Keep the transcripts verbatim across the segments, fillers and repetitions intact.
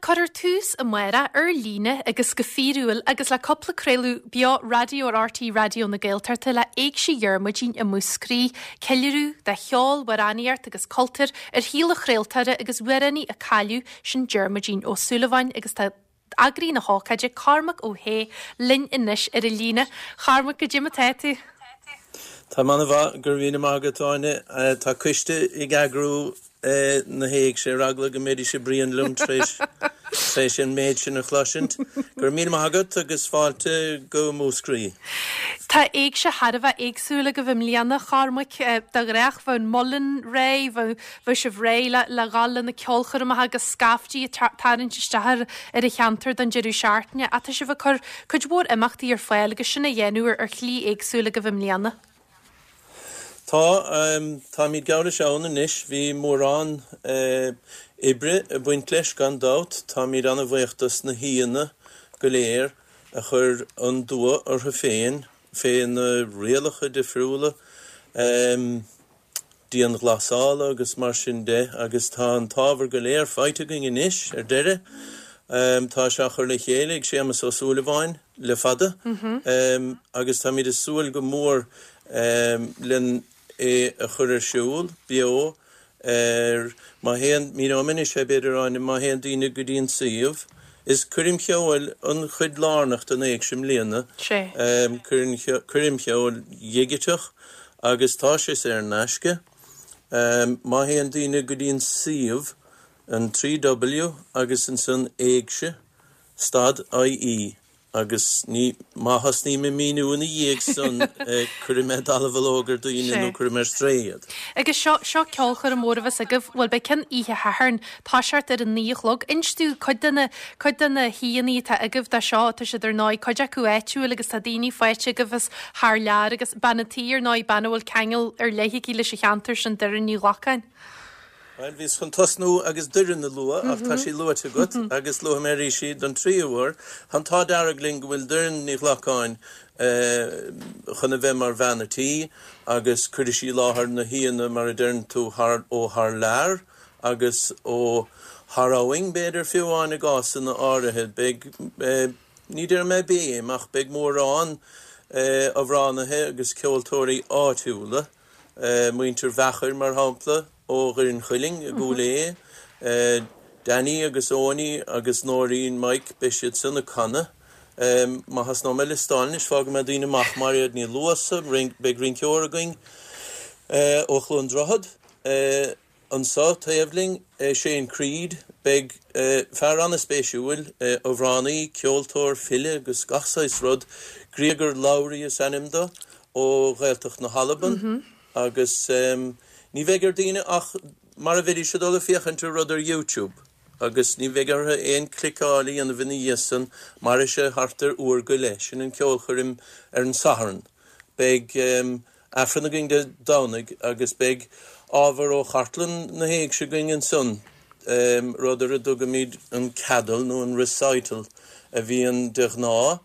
Cuirfear tús amárach ar líne agus go fíorúil agus le cúpla craoladh beo raidió ar RTÉ Raidió na Gaeltachta le Éigse Dhiarmuidín i Múscraí, ceiliúradh de cheol, amhránaíocht agus cultúr ar shaol an chraoltóra agus amhránaí a cailleadh sin Diarmuidín Ó Súilleabháin agus tá eagraí na hócáide Cormac Ó hAodha linn anois ar an líne. Cormac goidé mar atá tú. Tá an-mhaith go raibh míle maith agat Áine tá coiste ag eagrú na héigse ar eagla go mbeidís ag bruíon liom tréis an méid sin a chloisint. Go raibh míle maith agat agus fáilte go Múscraí. Tá éigse thar a bheith éagsúil agaibh i mbliana Chormaic de ghnáth bheadh an muileann réidh bheadh sibh réidh le le dhul le na ceolchoirmeacha agus scaftí ag tarraingt isteach ar ar an cheantar don deireadh seachtaine ach tá sibh ag cur cuid mhór imeachtaí ar fáil agus sin a dhéanamh ar shlí éagsúil agaibh i mbliana. Tá táimid geall leis ann anois bhí mórán oibre ag baint leis gan dabht, táimid an-bhuíoch dos na haíonna go léir a chuir an dua orthu féin fé na rialacha difriúla dianghlasála agus mar sin de agus tá an t-ábhar go léir faighte againn anois ar deireadh. Tá sé á chur le chéile ag Séamus Ó Súilleabháin le fada agus táimid ag súil go mór len é a chur ar siúl beo ar má théann míneoidh mé anois é b'fhéidir Áine má théann daoine go dtí an suíomh is coirm cheoil an chuid lárnach den éigse i mbliana coirm cheoil dhigiteach agus tá sé saor in aisce má théann daoine go dtí an suíomh an trí W agus ansan éigse stad IE agus ní má thosnaím ag míniú ina dhiaidh san cuirfidh mé dallamhullóg ar daoine nó cuirfidh mé ar strae iad. Agus seo seo ceolchoirm mór a bheas agaibh, bhuel beidh ceann oíche Shathairn, toiseacht ar a naoi a chlog. Inis dúinn cuid de na cuid de na haíonna atá agaibh dó seo, tá siad ar ndóigh cuid acu áitiúil agus tá daoine faighte agaibh as thar lear agus bean an tí ar ndóigh, bean a bhfuil ceangal ar leith aici leis an cheantar sin, Doireann Ní Ghlacáin. Bhuel, bhíos chun tosnú agus Doireann a lua ach tá sí luaite agat agus luafaidh mé arís í don tríú huair. Tá an t-ádh dearg linn go bhfuil Doireann Ní Ghlacáin chun a bheith mar bhean a' tí agus cuirfidh sí i láthair na haíonna mar a deireann tú thar, ó thar lear agus ó thar abhainn b'fhéidir fiú amháin i gcásanna áirithe. Beidh, ní déarfaidh mé béim ach beidh mórán amhránaithe agus ceoltóirí áitiúla, muintir Mheachair mar shampla, ó Dhoire an Chuilinn i gCúil Aodha, Danny agus Owenie agus Nóirín Mike, beidh siad san ag canadh. Má thosnóidh mé ag liostáil anois, fágfaidh mé daoine amach, Mairéad Ní Luasa, beidh rinceoir againn ó Chluain Droichead anso taobh linn, Shane Creed, beidh fear an-spéisiúil, amhránaí, ceoltóir, file agus gach saghas rud, Griogair Labhruidh is ainm do, ó Ghaeltacht na hAlban agus ní bheidh ar daoine ach mar a bheidís ag dul ag féachaint ar rud ar YouTube agus ní bheidh orthu aon cliceáil a dhéanamh ina dhiaidh san, mairfidh sé thart ar uair go leith. Sin an ceolchoirm ar an Satharn. Beidh Aifreann againn Dé Domhnaigh agus beidh ábhar ó chartlann na hÉigse againn ansan, rud ar a dtugaimid an ceadal nó an recital a bhíonn de ghnáth.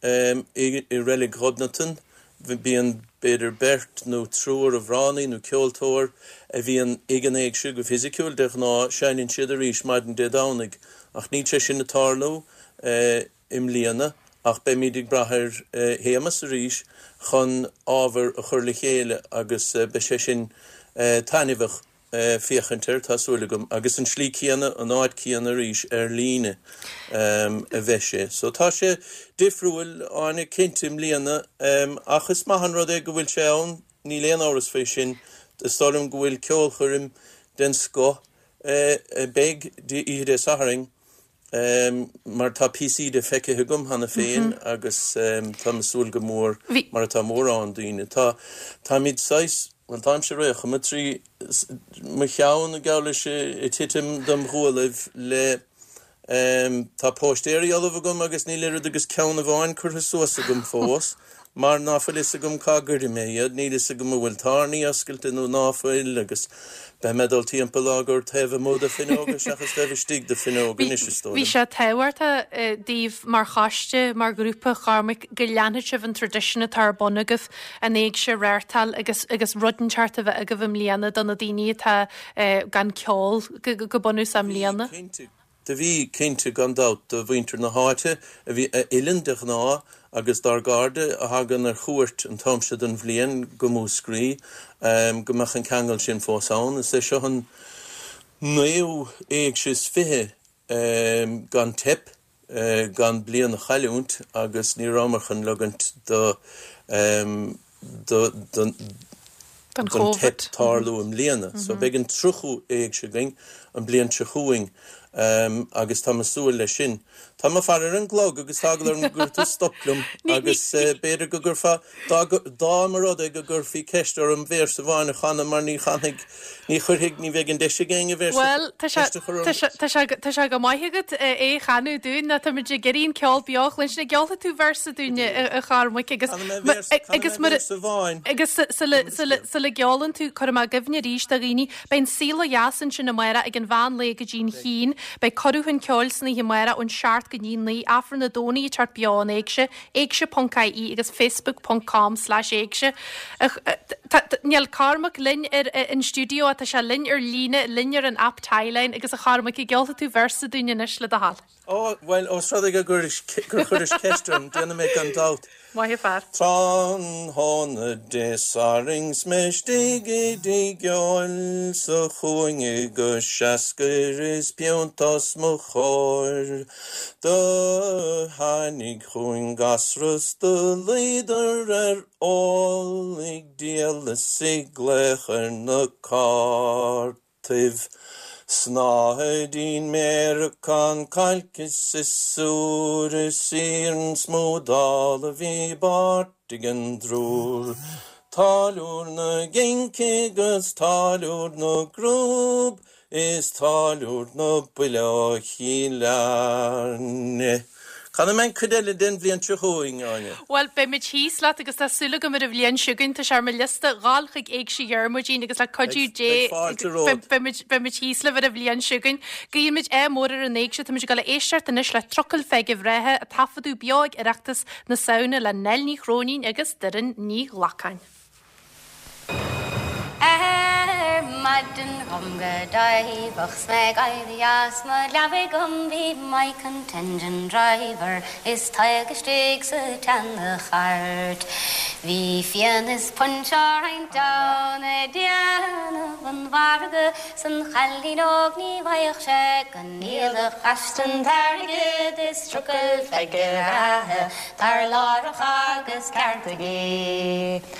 I Reilig Ghobnatan, bíonn b'fhéidir beirt nó triúr amhránaí nó ceoltóir a bhíonn ag an éigse go fisiciúil, de ghnáth seinneann siad arís maidin Dé Domhnaigh, ach níl sé sin ag tarlú i mbliana ach beimid ag brath ar Shéamus arís chun ábhar a chur le chéile agus beidh sé sin taitneamhach. féachaint air, tá súil agam, agus an slí céanna, an áit céanna arís ar líne a bheidh sé. So tá sé difriúil, Áine, cinnte, i mbliana, ach is maith an rud é go bhfuil sé ann, níl aon amhras faoi sin. Is dóigh liom go bhfuil ceolchoirm den scoth a bheidh oíche Dé Sathairn. Mar tá píosaí de feicthe agam cheana féin agus táim ag súil go mór, mar atá mórán daoine. Tá, táimid saghas, bhuel táimse ar aon chuma, trí mo cheann geall leis ag titim dom ghuallaibh le, tá póistéirí ullamh agam agus níl oiread agus ceann amháin curtha suas agam fós. Mar ná fuil fhios agam cá gcuirfidh mé iad, níl fhios agam an bhfuil tairní oscailte nó ná fuil, agus beidh mé ag dul timpeall á gcur taobh amuigh de fuinneoga seachas taobh istigh de fuinneoga anois, is dóigh Bhí liom. sé tábhachtach daoibh mar choiste, mar ghrúpa, Chormaic, go leanfadh sibh an traidisiún atá ar bun agaibh, an éigse a reáchtáil agus agus rud inteacht a bheith agaibh i mbliana do na daoine atá gan ceol go bunúsach i Bhí, mbliana. cinnte. Do bhí cinnte gan dabht do mhuintir na háite a bhí a fhilleann de ghnáth agus dár gcairde a thagann ar chuairt an t-am seo den bhliain go Múscraí go mbeadh an ceangal sin fós ann. Is é seo an naoú éigse is fiche gan teip, gan bliain a chailliúint agus ní rabhamar chun ligint do don don teip tarlú i mbliana. So beidh an tríochú éigse againn an bliain seo chugainn agus tá mé ag súil leis sin. Tá mé ag faire ar an gclog agus tá eagla orm go gcuirfidh tú stop liom agus b'fhéidir go gcuirfeá, dá mba rud é go gcuirfí ceist orm véarsa amháin a chanadh mar ní chanfaidh, ní chuirfidh, ní bheidh an deis ag éinne véarsa Bhuel, tá sé, ceist a chur orm. tá sé, tá sé, tá sé go maith agat é a chanadh dúinn, nó táimid ag iarraidh an ceol beo a chluinstin. An gceolfaidh tú véarsa dúinn, a Chormaic, agus Canfaidh mé véarsa, canfaidh agus mé mar véarsa amháin. agus sula, sula, sula gceolann tú, cuirfidh mé i gcuimhne arís do dhaoine, beidh an saol ó dheas ansin amárach ag an mheán lae go dtí'n haon. Beidh cuireadh chun ceoil san oíche amárach ón seacht go dtí naoi, Aifreann an Domhnaigh ag teacht beo ón Éigse, éigse ponc ie agus facebook ponc com slash éigse. Níl Cormac linn ar an stiúideo ach tá sé linn ar líne, linn ar an aip Tieline agus a Chormaic, an gceolfaidh tú véarsa dúinn anois le do thoil? Ó, bhuel, ós rud é go gur chuiris ceist orm, déanfaidh mé gan dabht. Maith an fear. Tráthnóna Dé Sathairn 's mé istigh i dtigh óil sa chúinne go seascair is piúnt os mo chomhair. Do tháinig chugainn gasra 's do luíodar ar ól ag díol is ag glaoch ar na cártaibh. Snáthaidín méaracán cailc is siosúr is iarann smúdála bhí i bpáirt ag an dtriúr. Táilliúir na gCinc agus táilliúir na gCrúb is táilliúir na buile ó Chill Airne. Canfaidh mé an cuid eile den bhliain seo chugainn, Áine. Bhuel, beidh muid thíos leat agus tá súil agam ar an bhliain seo chugainn. Tá sé ar mo liosta dhul chuig Éigse Dhiarmuidín agus le cuidiú Dé Beidh fáilte romhat. beidh muid thíos libh ar an bhliain seo chugainn. Guímid ádh mór ar an Éigse. Táimid ag dul a éisteacht anois le Trucail Pheige Bhreátha a taifeadadh beo ag Oireachtas na Samhna le Nell Ní Chróinín agus Doireann Ní Ghlacáin. Ar maidin dhom go dáimhach 's mé ag éirí as mo leabaidh dhom bhí Mike an t-engine driver is Tadhg istigh sa tseana-chairt. Bhí fíon is punch á roinnt ann ag déanamh an mhargaidh 's an chailín óg ní bhfaigheadh sé go ndíolfadh aisti an t-airgead is trucail Pheige bhreátha tar láithreach agus ceartaigí.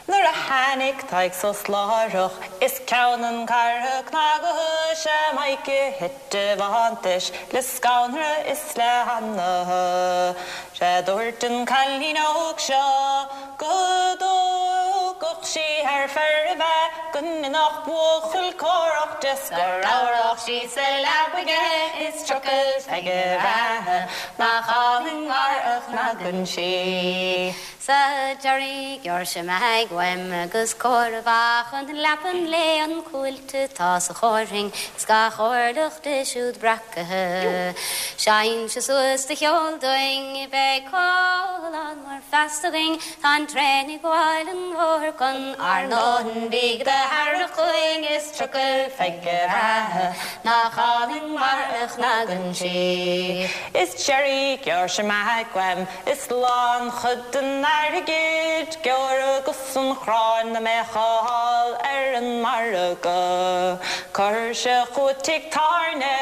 Nuair a tháinig Tadhg suas láithreach is ceann an charra cnagaithe sé Mike a thit i bhfanntais le scanradh is le hanaithe. Sé dúirt an cailín óg seo go dtógfadh sí thar fear a bheith go ndéanfadh buachaill córach de 's go rabhrach sí sa leabaidh aige is trucail Pheige bhreátha nach álainn mar a chnagann sí. Sa deireadh ghearr sé meaig uaim agus comhaireamh achan leapan léi an cuailt atá sa chomhairfinn is gach orlach di siúd breacaithe. Seinnse suas do cheol dúinn beidh comhlán mór feasta againn tá an traein ag gabháil an bhóthair chun ár ndóthain bídh do thairfeadh chugainn is trucail Pheige bhreátha nach álainn mar a chnagann sí. Is Jerry gearr sé meaig uaim is lánchuid den airgid gearradh gus an chráin a mbeadh á fháil ar an margadh. Cuir sé chugat tigh tábhairne,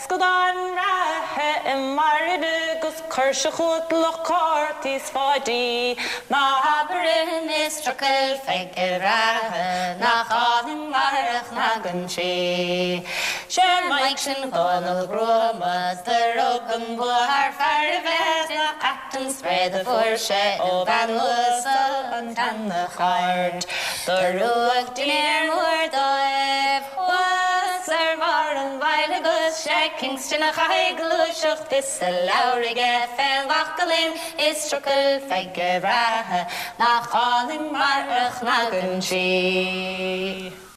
scadán reatha i mbairille 'gus cuir sé chugat lucht cártaí 's Pháidí. Ná habair liom is trucail Pheige bhreátha nach álainn mar a chnagann sí. Sé Mike sin Dhónaill Ghruama do rug an bua thar fear a bheith nach ait an spréad a fuair sé ó bhean uasal an tseana-chairt. Do rugadh dinnéar mór dóibh thuas ar bharr an bhaill agus sé Kingston a chaithfidh gluaiseacht is a leabhar aige fén bhaclainn is trucail Pheige bhreátha nach álainn mar a chnagann sí.